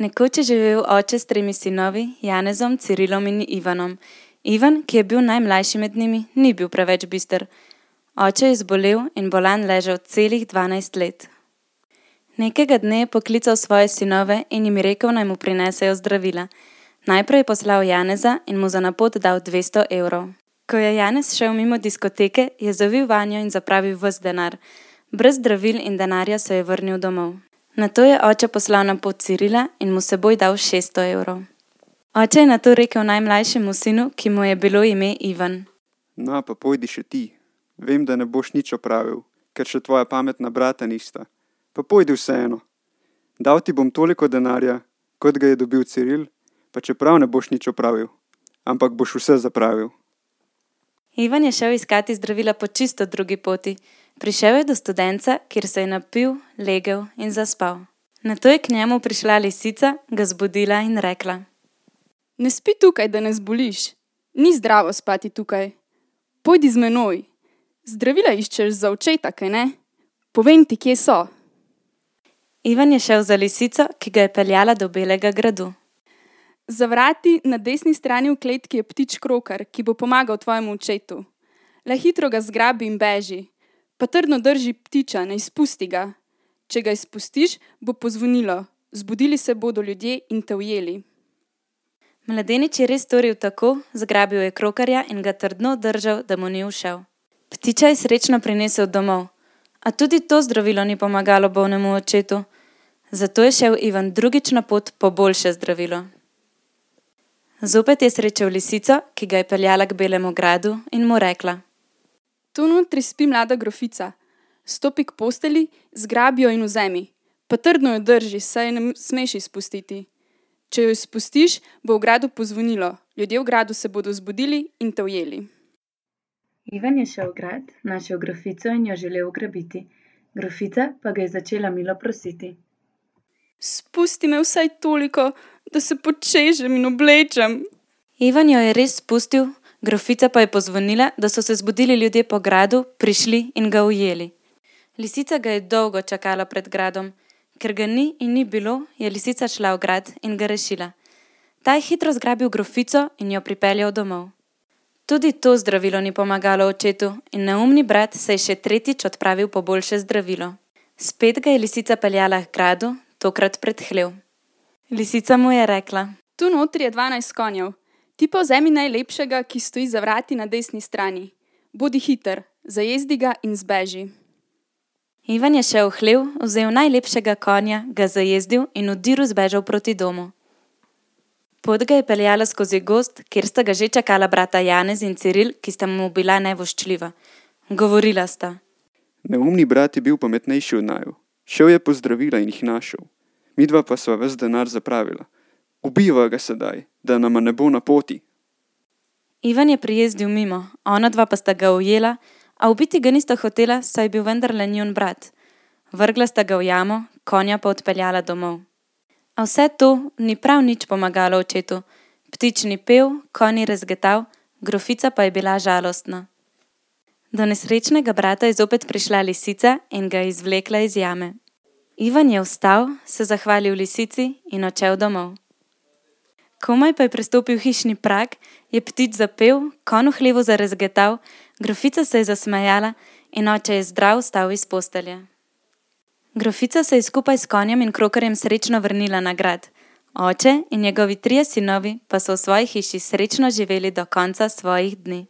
Nekoč je živel oče s 3 sinovi, Janezom, Cirilom in Ivanom. Ivan, ki je bil najmlajši med njimi, ni bil preveč bister. Oče je zbolel in bolan ležal celih 12 let. Nekega dne je poklical svoje sinove in jim rekel, naj mu prinesejo zdravila. Najprej je poslal Janeza in mu za na pot dal 200 evrov. Ko je Janez šel mimo diskoteke, je zavil vanjo in zapravil ves denar. Brez zdravil in denarja se je vrnil domov. Nato je oče poslal na pot Cirila in mu seboj dal 600 evrov. Oče je nato rekel najmlajšemu sinu, ki mu je bilo ime Ivan. No, pa pojdi še ti. Vem, da ne boš nič opravil, ker še tvoja pametna brata nista. Pa pojdi vseeno. Dal ti bom toliko denarja, kot ga je dobil Ciril, pa čeprav ne boš nič opravil, ampak boš vse zapravil. Ivan je šel iskati zdravila po čisto drugi poti. Prišel je do studenca, kjer se je napil, legel in zaspal. Nato je k njemu prišla lisica, ga zbudila in rekla: Ne spi tukaj, da ne zboliš. Ni zdravo spati tukaj. Pojdi z menoj. Zdravila iščeš za očeta, kaj ne? Povem ti, kje so. Ivan je šel za lisico, ki ga je peljala do Belega gradu. Za vrati na desni strani v kletki je ptič krokar, ki bo pomagal tvojemu očetu. Le hitro ga zgrabi in beži. Pa trdno drži ptiča, ne izpusti ga. Če ga izpustiš, bo pozvonilo. Zbudili se bodo ljudje in te ujeli. Mladenič je res storil tako, zgrabil je krokarja in ga trdno držal, da mu ni ušel. Ptiča je srečno prinesel domov, a tudi to zdravilo ni pomagalo bolnemu očetu. Zato je šel Ivan drugič na pot po boljše zdravilo. Zopet je srečal lisico, ki ga je peljala k Belemu gradu in mu rekla: Tu notri spi mlada grofica. Stopi k posteli, zgrabi jo in vzemi. Pa trdno jo drži, saj je ne smeš izpustiti. Če jo izpustiš, bo v gradu pozvonilo. Ljudje v gradu se bodo zbudili in te ujeli. Ivan je šel v grad, našel grofico in jo želel ugrabiti. Grofica pa ga je začela milo prositi: Spusti me vsaj toliko, da se počežem in oblečem. Ivan jo je res spustil, grofica pa je pozvonila, da so se zbudili ljudje po gradu, prišli in ga ujeli. Lisica ga je dolgo čakala pred gradom. Ker ga ni in ni bilo, je lisica šla v grad in ga rešila. Ta je hitro zgrabil grofico in jo pripeljal domov. Tudi to zdravilo ni pomagalo očetu in neumni brat se je še tretjič odpravil po boljše zdravilo. Spet ga je lisica peljala k gradu, tokrat pred hlev. Lisica mu je rekla: Tu notri je 12 konjev. Ti pa vzemi najlepšega, ki stoji za vrati na desni strani. Bodi hiter, zajezdi ga in zbeži. Ivan je šel v hlev, vzel najlepšega konja, ga zajezdil in v diru zbežal proti domu. Pot ga je peljala skozi gozd, kjer sta ga že čakala brata Janez in Ciril, ki sta mu bila nevoščljiva. Govorila sta: Neumni brat je bil pametnejši od naju. Šel je po zdravila in jih našel. Midva pa sva ves denar zapravila. Ubiva ga sedaj, da nama ne bo na poti. Ivan je prijezdil mimo, onadva pa sta ga ujela, a ubiti ga nista hotela, saj je bil vendarle njun brat. Vrgla sta ga v jamo, konja pa odpeljala domov. A vse to ni prav nič pomagalo očetu. Ptič ni pel, konj ni rezgetal, grofica pa je bila žalostna. Do nesrečnega brata je zopet prišla lisica in ga izvlekla iz jame. Ivan je vstal, se zahvalil lisici in odšel domov. Komaj pa je prestopil hišni prag, je ptič zapel, konj v hlevu zarezgetal, grofica se je zasmejala in oče je zdrav vstal iz postelje. Grofica se je skupaj s konjem in krokarjem srečno vrnila na grad. Oče in njegovi 3 sinovi pa so v svoji hiši srečno živeli do konca svojih dni.